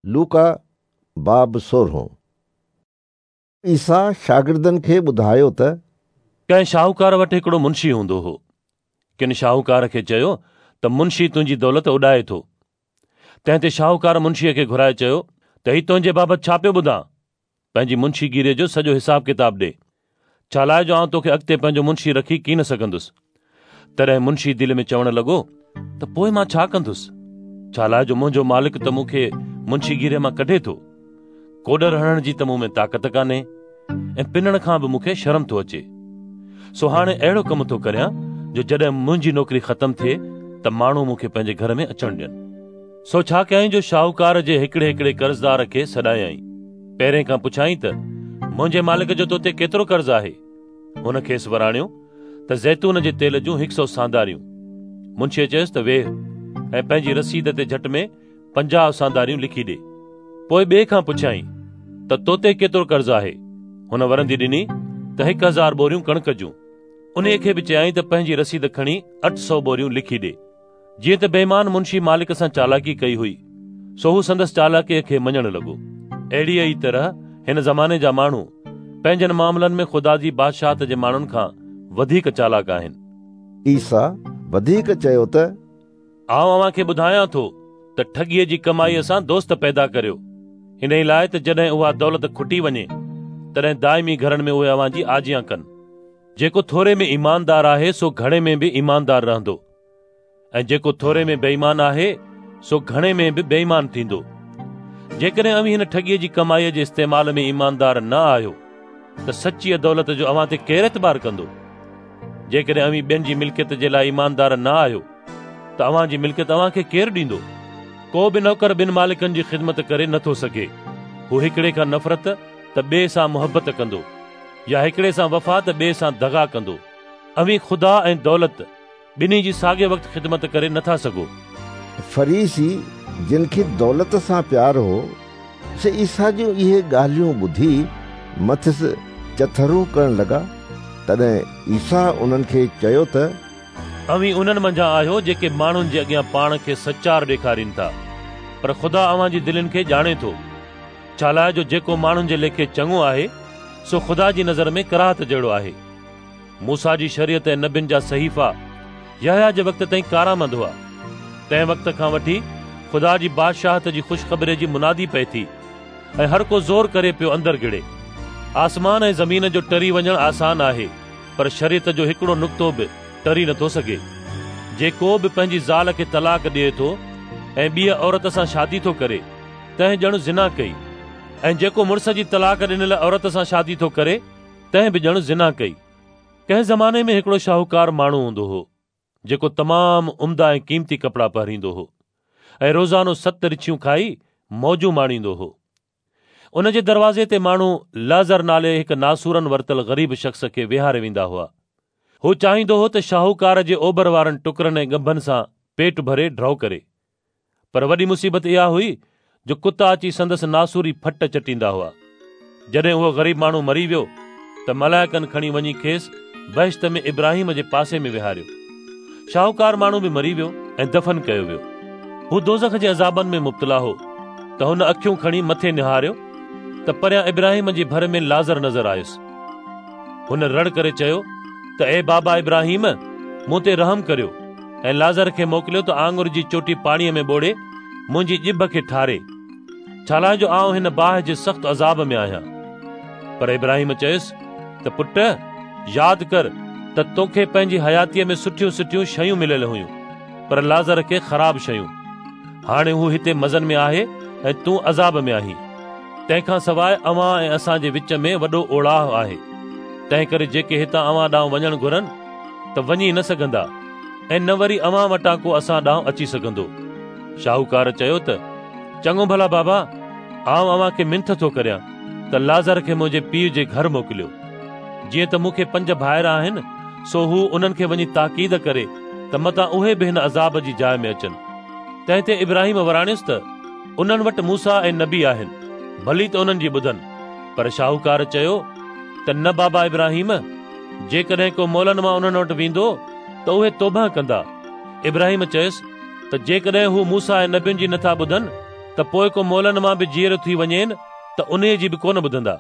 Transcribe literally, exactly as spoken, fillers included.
लूका बाब सोरहों। ईसा शागिर्दनि खे ॿुधायो त कंहिं शाहूकार वटि हिकिड़ो मुंशी हूंदो हो। किन शाहूकार खे चयो त मुंशी तुंहिंजी दौलत उॾाए थो। तंहिं ते शाहूकार मुंशीअ खे घुराए चयो त ही तुंहिंजे बाबति छा पियो ॿुधां? पंहिंजी मुंशीगिरीअ जो सॼो हिसाब किताब ॾे, छा लाइ जो आउं तोखे अॻिते पंहिंजो मुंशी रखी कीन सघंदुसि। तॾहिं मुंशी दिलि में चवणु लॻो त पोइ मां छा कंदुसि? छा लाइ जो मुंहिंजो मालिक त मूंखे मुंशीगिरीअ मां कढे थो। कोॾर हणण जी त मूं में ताक़त कान्हे ऐं पिनण खां बि मूंखे शर्म थो अचे। सो हाणे अहिड़ो कमु थो करियां जो जॾहिं मुंहिंजी नौकिरी ख़तमु थिए त माण्हू मूंखे पंहिंजे घर में अचणु ॾियनि। सो छा कयाईं जो शाहूकार जे हिकिड़े हिकिड़े कर्ज़दार खे सॾायाईं। पहिरें खां पुछाईं त मुंहिंजे मालिक जो तो ते केतिरो कर्ज़ आहे? हुन खेसि वराणियो त ज़ैतून जे तेल जूं हिकु सौ सांदारियूं। मुंशीअ चयोसि त वेह ऐं पंहिंजी रसीद ते झटि में पंजाह सांदारियूं लिखी ॾे। पोइ ॿिए खां पुछाईं त तो ते केतिरो कर्ज़ आहे? हुन वरंदी ॾिनी त हिकु हज़ार ॿोरियूं कणिक जूं। उन्हीअ खे बि चयाईं त पंहिंजी रसीद खणी अठ सौ ॿोरियूं लिखी ॾे। जीअं त बेईमान मुंशी मालिक सां चालाकी कई हुई, सो हू संदसि चालाकीअ खे मञणु लॻो। अहिड़ीअ ई तरह हिन ज़माने जा माण्हू पंहिंजनि मामलनि में ख़ुदा जी बादशाहत जे माण्हुनि खां वधीक चालाक आहिनि। ईसा वधीक चयो त आउं अव्हां खे ॿुधायां थो त ठॻीअ जी कमाईअ सां दोस्त पैदा करियो, हिन ई लाइ त जॾहिं उहा दौलत खुटी वञे तॾहिं दाइमी घरनि में उहे अव्हां जी आजियां कनि। जेको थोरे में ईमानदार आहे सो घणे में बि ईमानदार रहंदो, ऐं जेको थोरे में बेईमान आहे सो घणे में बि बेईमान थींदो। जेकॾहिं अव्हीं हिन ठॻीअ जी कमाईअ जे इस्तेमाल में ईमानदार न आहियो त सचीअ दौलत जो अव्हां ते केरु एतबार कंदो? जेकॾहिं अव्हीं ॿियनि जी मिल्कियत जे लाइ ईमानदार न आहियो त अव्हां जी मिल्कियत अव्हां खे केरु ॾींदो? को बि नौकर ॿिनि मालिकनि जी ख़िदमत करे नथो सघे। हू हिकिड़े खां नफ़रत त ॿिए सां मुहबत कंदो, या हिकिड़े सां वफ़ा त ॿिए सां दग़ा कंदो। अव्हीं ख़ुदा ऐं दौलत ॿिन्ही जी साॻे वक़्तु ख़िदमत करे नथा सघो। फरीसी जिन खे दौलत सां प्यार हो से ईसा जूं इहे ॻाल्हियूं ॿुधी मथिसि चथरूं करणु लॻा। तॾहिं ईसा उन्हनि खे चयो त अव्हीं उन्हनि मंझां आहियो जेके माण्हुनि जे अॻियां पाण खे सचार ॾेखारीनि था, पर ख़ुदा अव्हां जी दिलनि खे ॼाणे थो। छा लाइ जो जेको माण्हुनि जे लेखे चङो आहे सो ख़ुदा जी नज़र में कराहत जहिड़ो आहे। मूसा जी शरीयत ऐं नबियुनि जा सहीफ़ा यहया जे वक़्त ताईं कारामंद हुआ। तंहिं वक़्त खां वठी ख़ुदा जी बादशाहत जी ख़ुशख़बरी जी मुनादी पई थी ऐं हर को ज़ोर करे पियो अंदरि गिड़े। आसमान ऐं ज़मीन जो टरी वञणु आसान आहे, पर शरीयत जो हिकिड़ो नुक़्तो बि टरी नथो सघे। जेको बि पंहिंजी ज़ाल खे तलाक ॾिए थो ऐं ॿीअ औरत सां शादी थो करे तंहिं ॼण ज़िना कई, ऐं जेको मुड़ुस जी तलाक ॾिनल औरत सां शादी थो करे तंहिं बि ॼण ज़िना कई। कंहिं ज़माने में हिकिड़ो शाहूकार माण्हू हूंदो हो जेको तमामु उम्दा ऐं क़ीमती कपिड़ा पहिरींदो हो ऐं रोज़ानो सत रिछियूं खाई मौजूं माणींदो हो। उन जे दरवाज़े ते माण्हू लाज़र नाले हिकु नासूरनि वरितल ग़रीब शख़्स खे विहारे वेंदा हुआ। हू चाहींदो हो त शाहूकार जे ओभर वारनि टुकरनि ऐं ॻंभनि सां पेट भरे ढो करे, पर वॾी मुसीबत इहा हुई जो कुता अची संदसि नासूरी फट चटींदा हुआ। जॾहिं उहो ग़रीब माण्हू मरी वियो त मलाइकनि खणी वञी खेसि बहिश्त में इब्राहिम जे पासे में विहारियो। शाहूकार माण्हू बि मरी वियो ऐं दफ़न कयो वियो। हू दोज़ख जे अज़ाबनि में मुब्तला हो त हुन अखियूं खणी मथे निहारियो त परियां इब्राहिम जे भर में लाज़र नज़र आयुसि। हुन रड़ करे चयो त ए बाबा इब्राहिम, मूं ते रहम करियो ऐं लाज़र खे मोकिलियो त आङुर जी चोटी पाणीअ में ॿोड़े मुंहिंजी ॼिभ खे ठारे, छा लाइ जो आउं हिन बाहि जे सख़्तु अज़ाब में आहियां। पर इब्राहिम चयोसि त पुट, यादि कर त तोखे पंहिंजी हयातीअ में सुठियूं सुठियूं शयूं मिलियल हुयूं, पर लाज़र खे ख़राब शयूं। हाणे हू हिते मज़नि में आहे ऐं तूं अज़ाब में आहीं। तंहिंखां सवाइ अव्हां ऐं असांजे विच में वॾो ओड़ाह आहे, तंहिं करे जेके हितां अव्हां ॾांहुं वञणु घुरनि त वञी न सघंदा ऐं न वरी अव्हां वटां को असां ॾांहुं अची सघंदो। शाहूकार चयो त चङो भला बाबा, आउं अव्हां खे मिंथ थो करियां त लाज़र खे मुंहिंजे पीउ जे घर मोकिलियो। जीअं त मूंखे पंज भाइर आहिनि, सो हू उन्हनि खे वञी ताक़ीद करे त मतां उहे बि हिन अज़ाब जी जाइ में अचनि। तंहिं ते इब्राहिम वराणियुसि त उन्हनि वटि मूसा ऐं नबी आहिनि, भली त उन्हनि जी ॿुधनि। पर शाहूकार चयो त न बाबा इब्राहिम, जेकॾहिं को मोलनि मां उन्हनि वटि वेंदो त उहे तौबा कंदा। इब्राहिम चयोसि त जेकॾहिं हू मूसा ऐं नबियुनि जी नथा ॿुधनि त त पोइ को मुئलनि मां बि जीअरो थी वञेन त उन्हीअ जी बि कोन ॿुधंदा।